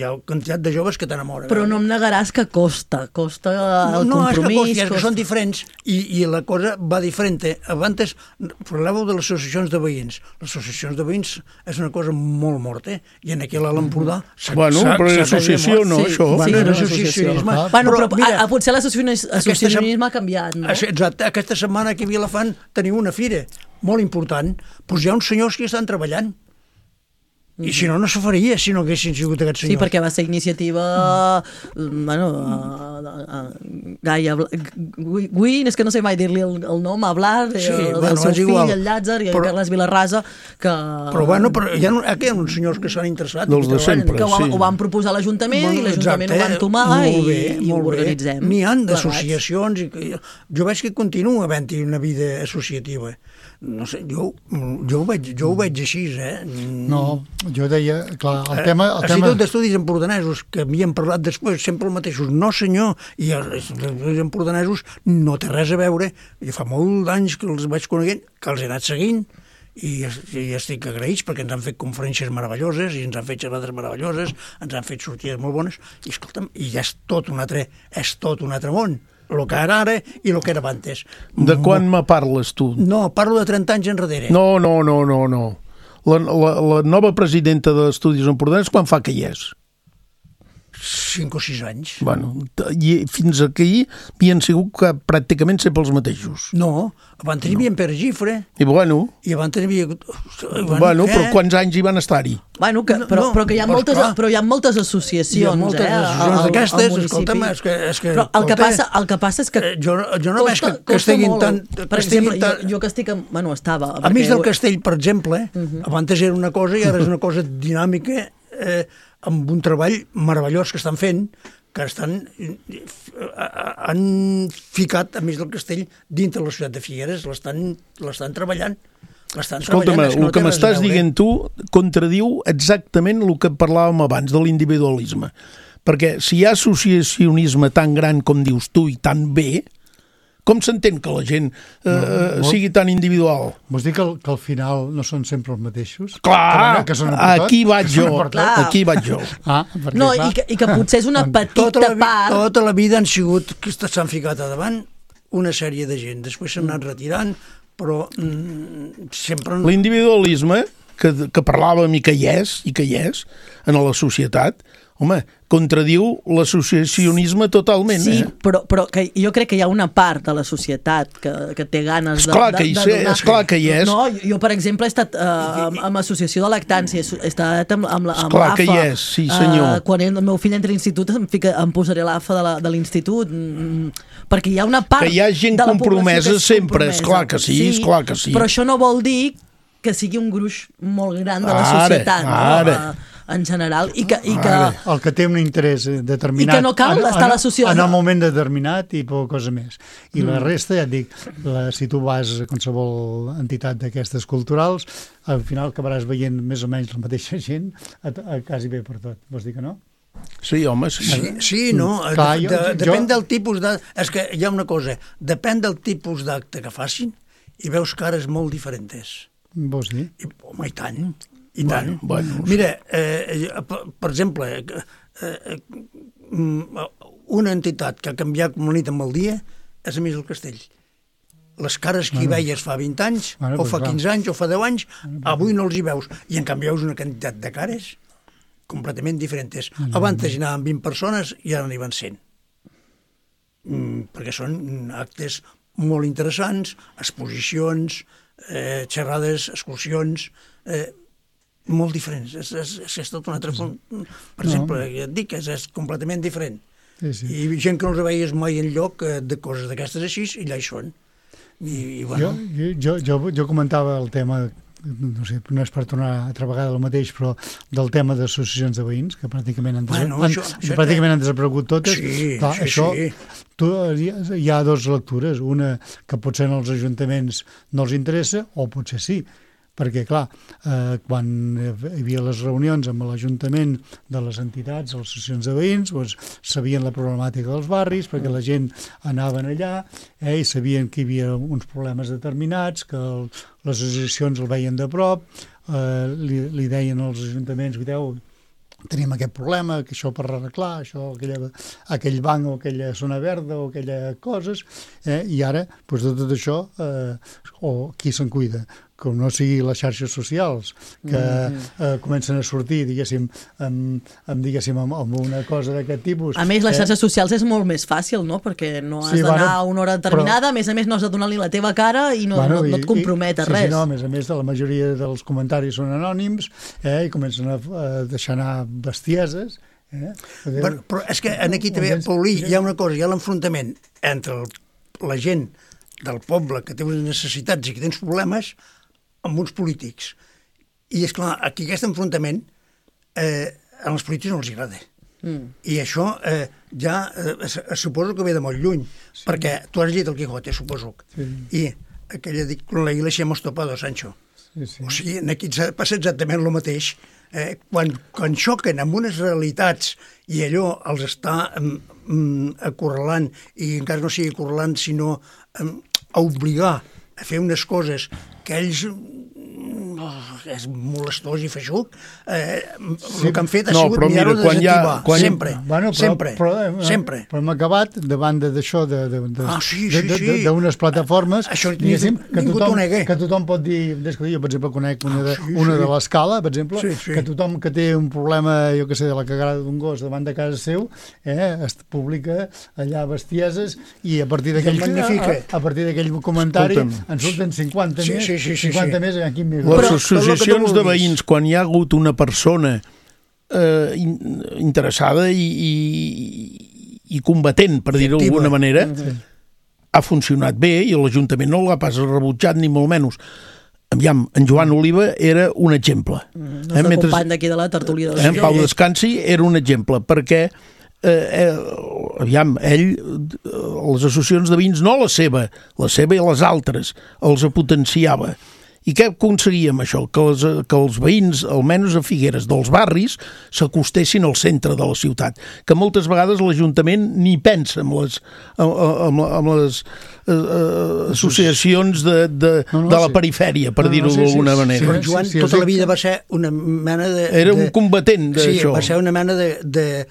ha quantitat de joves que t'enamoren. Però no em negaràs que costa el compromís. No, és que són diferents i la cosa va diferent. Abans parlàveu de les associacions de veïns. Les associacions de veïns és una cosa molt morta i en aquí a l'Empordà bueno, però l'associació no, això. Bueno, l'associacionisme. Bueno, però potser l'associacionisme ha canviat, no? Exacte. Aquesta setmana aquí a Vilafant teniu una fira molt important. Doncs hi ha uns senyors que estan treballant. I si no, no se faria si no haguessin sigut aquests senyors. Sí, perquè va ser iniciativa... Gaia... Guin, és que no sé mai dir-li el nom, Hablar, del seu fill, el Llàtzer, i el Carles Vilarrasa, que... Però hi ha uns senyors que s'han interessat. Dels de sempre, que ho van proposar a l'Ajuntament i l'Ajuntament ho van tomar i ho organitzem. N'hi ha d'associacions. Jo veig que continua havent-hi una vida associativa. No sé, jo ho veig així, No, jo deia, clar, el tema... Institut d'Estudis Empordanesos, que havien parlat després, sempre els mateixos, no senyor, i els empordanesos no té res a veure, i fa molt d'anys que els vaig coneguent, que els he anat seguint, i estic agraïts perquè ens han fet conferències meravelloses, i ens han fet xerrades meravelloses, ens han fet sortides molt bones, i escolta'm, i ja és tot un altre món. El que era ara i el que era abans. De quan me parles, tu? No, parlo de 30 anys enrere. No. La nova presidenta d'Estudis Empordanès, quan fa que hi és? 5 o 6 anys. Bueno, i fins aquí havien sigut que pràcticament sempre els mateixos. No, abans hi havia en Pere Gifre. I bueno... I abans hi havia... Bueno, però quants anys hi van estar-hi? Bueno, però que hi ha moltes associacions. Hi ha moltes associacions d'aquestes, escolta'm, és que... Però el que passa és que... Jo no veig que estiguin tant... Per exemple, jo que estic... Bueno, estava... A mig del castell, per exemple, abans era una cosa i ara és una cosa dinàmica, amb un treball meravellós que estan fent, que han ficat a mig del castell dintre la ciutat de Figueres, l'estan treballant. Escolta'm, el que m'estàs dient tu contradiu exactament el que parlàvem abans de l'individualisme. Perquè si hi ha associacionisme tan gran com dius tu i tan bé, Com s'entén que la gent sigui tan individual? Vols dir que al final no són sempre els mateixos? Clar, aquí vaig jo. No, i que potser és una petita part... Tota la vida s'han ficat a davant una sèrie de gent, després s'han anat retirant, però sempre... L'individualisme, que parlàvem i que hi és en la societat, home, contradiu l'associacionisme totalment. Sí, però que jo crec que hi ha una part de la societat que té ganes de donar... Esclar que hi és. No, jo, per exemple, he estat amb l'associació de lactància, he estat amb l'AFA. Esclar que hi és, sí senyor. Quan el meu fill entra a l'institut em posaré l'AFA de l'institut, perquè hi ha una part que hi ha gent compromesa sempre, esclar que sí. Però això no vol dir que sigui un gruix molt gran de la societat, en general, i que... El que té un interès determinat... I que no cal estar a la societat. En el moment determinat i poca cosa més. I la resta, ja et dic, si tu vas a qualsevol entitat d'aquestes culturals, al final acabaràs veient més o menys la mateixa gent quasi bé per tot. Vols dir que no? Sí, home, sí, no. Depèn del tipus d'acte. És que hi ha una cosa, depèn del tipus d'acte que facin i veus cares molt diferents. Vols dir? Home, i tant. I tant. Mira, per exemple, una entitat que ha canviat com la nit amb el dia és a més el Castell. Les cares que hi veies fa 20 anys, o fa 15 anys, o fa 10 anys, avui no els hi veus. I en canvi veus una quantitat de cares completament diferents. Abans hi anaven 20 persones i ara n'hi van 100. Perquè són actes molt interessants, exposicions, xerrades, excursions... molt diferents. És tot un altre... Per exemple, ja et dic, és completament diferent. I gent que no els veies mai enlloc de coses d'aquestes així, i allà hi són. Jo comentava el tema, no sé, no és per tornar altra vegada el mateix, però del tema d'associacions de veïns, que pràcticament han desaparegut totes. Això, hi ha dues lectures. Una, que potser als ajuntaments no els interessa, o potser sí. Perquè, clar, quan hi havia les reunions amb l'Ajuntament de les entitats, les associacions de veïns, doncs sabien la problemàtica dels barris, perquè la gent anaven allà i sabien que hi havia uns problemes determinats, que les associacions el veien de prop, li deien als ajuntaments, veieu, tenim aquest problema, que això per arreglar, això, aquell banc o aquella zona verda o aquelles coses, i ara, doncs, de tot això, qui se'n cuida? Que no sigui les xarxes socials, que comencen a sortir, diguéssim, amb una cosa d'aquest tipus. A més, les xarxes socials és molt més fàcil, no? Perquè no has d'anar a una hora determinada, a més no has de donar-li la teva cara i no et compromet a res. Sí, no, a més, la majoria dels comentaris són anònims i comencen a deixar anar bestieses. Però és que aquí també, Paulí, hi ha una cosa, hi ha l'enfrontament entre la gent del poble que té unes necessitats i que tens problemes amb uns polítics. I, esclar, aquí aquest enfrontament a els polítics no els agrada. I això ja suposo que ve de molt lluny, perquè tu has llegit el Quijote, suposo. I aquella dic, con la iglesia hemos topado, Sancho. O sigui, aquí passa exactament el mateix. Quan xoquen amb unes realitats i allò els està acorralant, i encara no sigui acorralant, sinó a obligar a fer unes coses que ells és molestós i feixuc, el que han fet ha sigut mirar-ho de desactivar. Sempre. Però hem acabat davant d'això, d'unes plataformes, que tothom pot dir, jo per exemple conec una de l'Escala, per exemple, que tothom que té un problema, jo que sé, de la cagada d'un gos davant de casa seu, es publica allà bestieses i a partir d'aquell comentari en surten 50 més aquí més. Les associacions de veïns, quan hi ha hagut una persona interessada i combatent, per dir-ho d'alguna manera, ha funcionat bé i l'Ajuntament no l'ha pas rebutjat, ni molt menys. Aviam, en Joan Oliva era un exemple. El nostre company d'aquí de la tertúlia del En Pau Descansi era un exemple, perquè aviam, ell, les associacions de veïns, no la seva i les altres, els potenciava. I què aconseguíem això? Que els veïns, almenys a Figueres, dels barris, s'acostessin al centre de la ciutat. Que moltes vegades l'Ajuntament ni pensa amb les associacions de la perifèria, per dir-ho d'alguna manera. Joan tota la vida va ser una mena de... Era un combatent d'això. Sí, va ser una mena de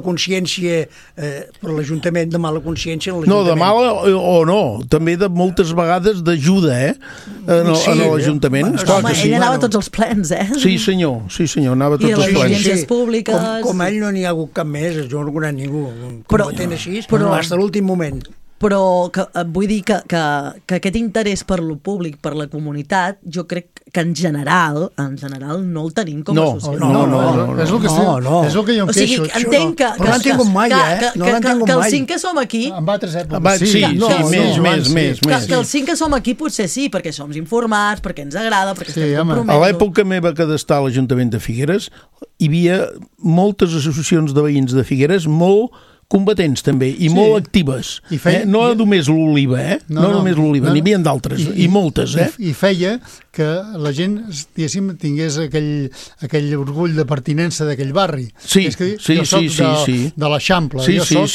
consciència per l'Ajuntament, de mala consciència en l'Ajuntament. No, de mala o no, també de moltes vegades d'ajuda, en l'Ajuntament. Home, ell anava a tots els plens, Sí, senyor, anava a tots els plens. I les audiències públiques... Com ell no n'hi ha hagut cap més, jo no conec ningú combatent així, però fins a l'últim moment. Però vull dir que aquest interès per lo públic, per la comunitat, jo crec que en general no el tenim com a societat. No. És el que jo em queixo. O sigui, entenc que... Però no l'han tingut mai, que els 5 que som aquí... En altres èpoques, sí, més. Que els 5 que som aquí potser sí, perquè som informats, perquè ens agrada, perquè estem compromesos. A l'època meva que d'estar a l'Ajuntament de Figueres, hi havia moltes associacions de veïns de Figueres molt combatents també, i molt actives. No només l'Oliva, no només l'Oliva, n'hi havia d'altres, i moltes. I feia que la gent, diguéssim, tingués aquell orgull de pertinença d'aquell barri. Sí. Jo soc de l'Eixample, jo soc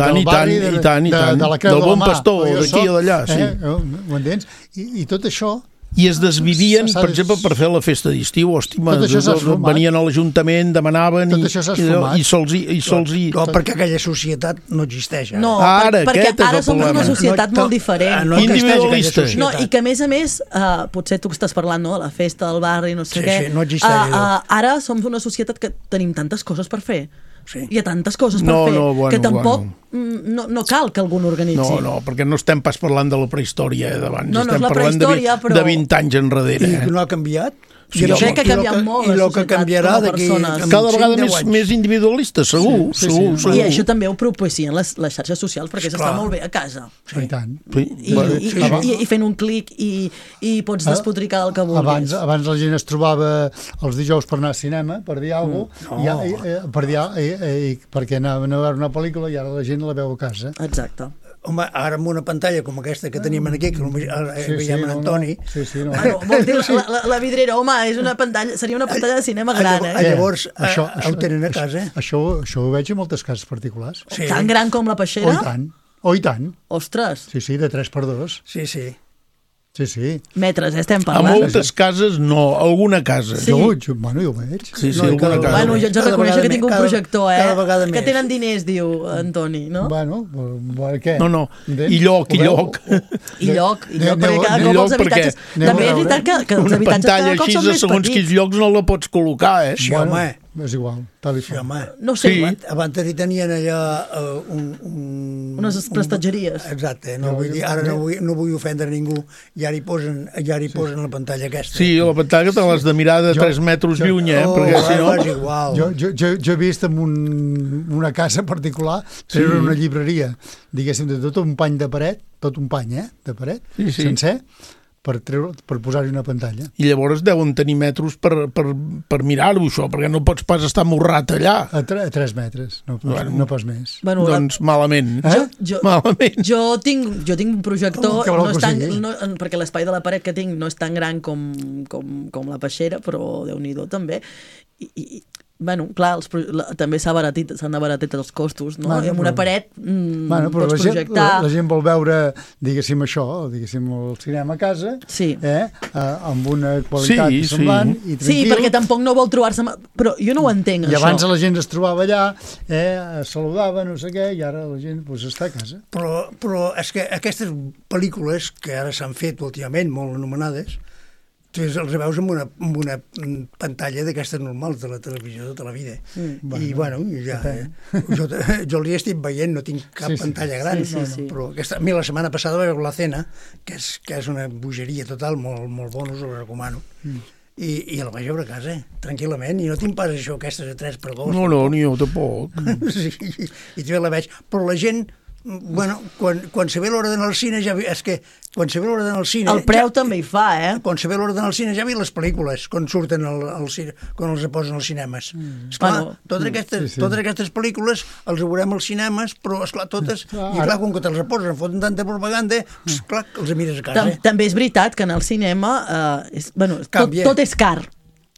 del barri del Bon Pastor, d'aquí o d'allà. Ho entens? I tot això... I es desvivien, per exemple, per fer la festa d'estiu. Venien a l'Ajuntament, demanaven i se'ls... No, perquè aquella societat no existeix. No, perquè ara som una societat molt diferent. Individualista. No, i que a més, potser tu estàs parlant de la festa del barri, no sé què. No existeix. Ara som una societat que tenim tantes coses per fer. Hi ha tantes coses per fer que tampoc no cal que algú n'organitzi. No, perquè no estem pas parlant de la prehistòria d'abans, estem parlant de 20 anys enrere. I no ha canviat? Jo crec que ha canviat molt la societat com a persones. Cada vegada més individualista, segur. I això també ho propicien les xarxes socials, perquè s'està molt bé a casa. I tant. I fent un clic i pots despotricar el que vulguis. Abans la gent es trobava els dijous per anar al cinema, per dir alguna cosa, perquè anaven a veure una pel·lícula i ara la gent la veu a casa. Exacte. Home, ara amb una pantalla com aquesta que tenim aquí, que veiem en Antoni... Vol dir, la vidrera, home, seria una pantalla de cinema gran, Llavors, ho tenen a casa. Això ho veig a moltes cases particulars. Tan gran com la Peixera? Oh, i tant. Ostres. Sí, de 3x2. Sí. Metres, estem parlant. A moltes cases no, alguna casa. Jo ho veig. Sí, alguna casa. Bueno, jo haig de reconèixer que tinc un projector, que tenen diners, diu Antoni, no? Bueno, què? No, i lloc. I lloc, perquè cada cop els habitatges... També és veritat que els habitatges cada cop són més petits. Segons quins llocs no la pots col·locar, Sí, home. És igual, tal i qual. No sé. Abans tenien allà unes prestatgeries. Exacte, ara no vull ofendre ningú, i ara hi posen la pantalla aquesta. Sí, la pantalla te l'has de mirar de 3 metres lluny, perquè si no... És igual. Jo he vist en una casa particular, era una llibreria, diguéssim, de tot un pany de paret, tot un pany, de paret, sencer, per posar-hi una pantalla. I llavors deuen tenir metros per mirar-ho, això, perquè no pots pas estar morrat allà. A 3 metres, no pas més. Doncs malament. Jo tinc un projector, perquè l'espai de la paret que tinc no és tan gran com la Peixera, però Déu-n'hi-do també. I clar, també s'han abaratit els costos, no? I amb una paret pots projectar... La gent vol veure, diguéssim, això, diguéssim, el cinema a casa, amb una qualitat semblant i tranquil. Sí, perquè tampoc no vol trobar-se... Però jo no ho entenc, això. I abans la gent es trobava allà, saludava, no sé què, i ara la gent està a casa. Però és que aquestes pel·lícules que ara s'han fet últimament, molt anomenades, tu els veus amb una pantalla d'aquestes normals de la televisió de tota la vida. I, bueno, jo li estic veient, no tinc cap pantalla gran, però a mi la setmana passada vaig veure La Cena, que és una bogeria total, molt bona, us ho recomano. I la vaig veure a casa, tranquil·lament, i no tinc pas això, aquestes de 3x2. No, ni jo tampoc. I també la veig, però la gent Bueno, quan se ve l'hora d'anar al cine ja... És que quan se ve l'hora d'anar al cine... El preu també hi fa, Quan se ve l'hora d'anar al cine ja vi les pel·lícules, quan surten al cine, quan els posen als cinemes. Esclar, totes aquestes pel·lícules els veurem als cinemes, però, esclar, totes... I clar, com que te'ls posen, foten tanta propaganda, esclar, els mires a casa. També és veritat que en el cinema... Tot és car.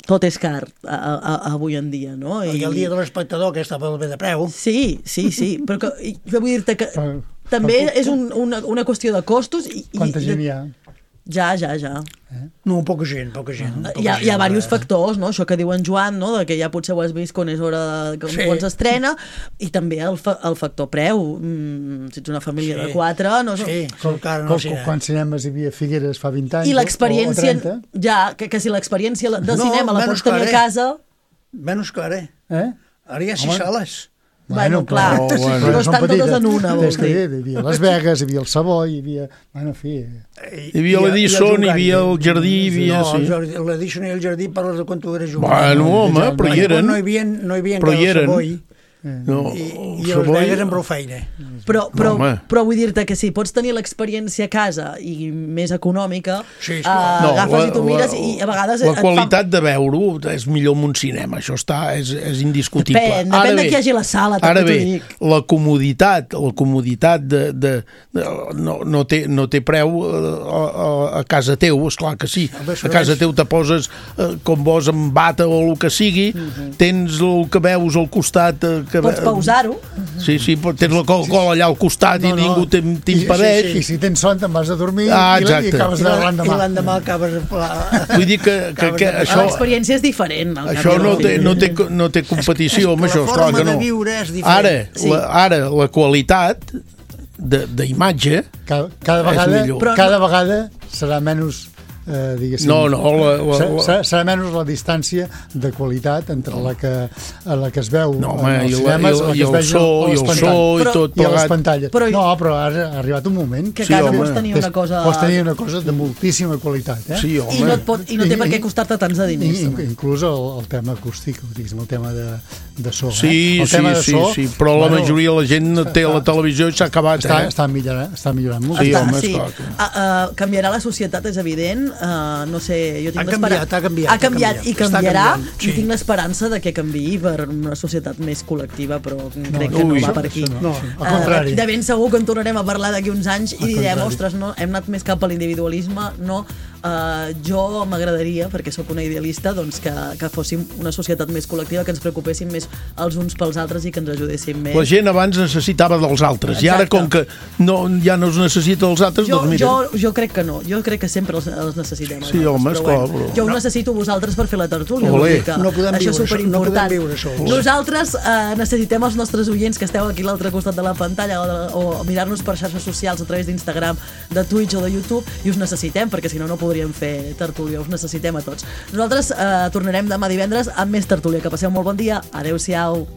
Tot és car avui en dia, no? I el dia de l'espectador, que està pel bé de preu. Sí, però vull dir-te que també és una qüestió de costos. Quanta gent hi ha? Ja. No, poca gent. Hi ha diversos factors, no? Això que diu en Joan, no? De que ja potser ho has vist quan és hora quan s'estrena, i també el factor preu. Si ets una família de 4... Quants cinemes hi havia Figueres fa 20 anys? I l'experiència... Ja, que si l'experiència de cinema la pots tenir a casa... Menys car, Ara hi ha 6 sales. Bueno, clar, no estan totes en una, vols dir. Hi havia Las Vegas, hi havia el Savoy, hi havia... Bueno, en fi... Hi havia l'Edison, hi havia el Jardí, hi havia... No, l'Edison i el Jardí parles de quan tu eres jove. Bueno, home, però hi eren. No hi havia encara el Savoy. I els Vegas amb prou feina. Però vull dir-te que si pots tenir l'experiència a casa i més econòmica, agafes i tu mires i a vegades... La qualitat de veure-ho és millor en un cinema, això és indiscutible. Depèn de qui hagi a la sala. Ara bé, la comoditat no té preu a casa teu, esclar que sí. A casa teu te poses com vols amb bata o el que sigui, tens el que veus al costat... Pots pausar-ho. Sí, tens la Coca-Cola allà al costat i ningú t'impedeix. I si tens son te'n vas a dormir i acabes de l'endemà. I l'endemà acabes... Vull dir que això... L'experiència és diferent. Això no té competició amb això, esclar que no. La forma de viure és diferent. Ara, la qualitat d'imatge cada vegada serà menys... serà menys la distància de qualitat entre la que es veu als cinemes, i el so i tot plegat, i a les pantalles. No, però ha arribat un moment que a casa pots tenir una cosa de moltíssima qualitat, i no té per què costar-te tants de diners. Inclús el tema acústic, el tema de so. Sí, però la majoria de la gent té la televisió i s'ha acabat. Està millorant molt. Canviarà la societat, és evident. No sé, jo tinc ha canviat i canviarà, i tinc l'esperança de que canviï per una societat més col·lectiva, però crec que no va per aquí. Al contrari. De ben segur que en tornarem a parlar d'aquí uns anys i direm, ostres, no, hem anat més cap a l'individualisme, no. Jo m'agradaria, perquè sóc una idealista, doncs que fóssim una societat més col·lectiva, que ens preocupéssim més els uns pels altres i que ens ajudéssim més. La gent abans necessitava dels altres. I ara, com que ja no es necessita dels altres, doncs mira... Jo crec que no. Jo crec que sempre els necessitem. Sí, home, esclar. Jo ho necessito vosaltres per fer la tertúlia. No podem viure sols. Nosaltres necessitem els nostres oients que esteu aquí a l'altre costat de la pantalla o mirar-nos per xarxes socials a través d'Instagram, de Twitch o de YouTube, i us necessitem, perquè si no podríem fer tertúlia, us necessitem a tots. Nosaltres tornarem demà divendres amb més tertúlia. Que passeu molt bon dia. Adéu-siau.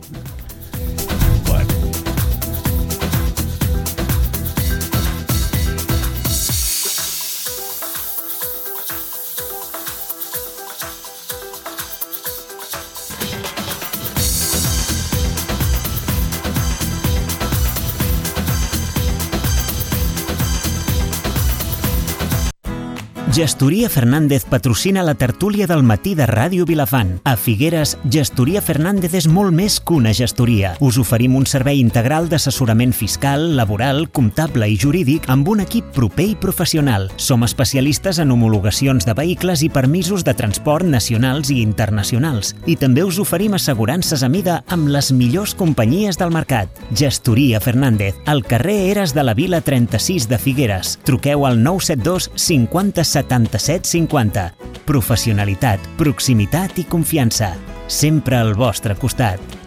Gestoria Fernández patrocina la tertúlia del matí de Ràdio Vilafant. A Figueres, Gestoria Fernández és molt més que una gestoria. Us oferim un servei integral d'assessorament fiscal, laboral, comptable i jurídic amb un equip proper i professional. Som especialistes en homologacions de vehicles i permisos de transport nacionals i internacionals. I també us oferim assegurances a mida amb les millors companyies del mercat. Gestoria Fernández, al carrer Eres de la Vila 36 de Figueres. Truqueu al 972 50 77 50. Professionalitat, proximitat i confiança. Sempre al vostre costat.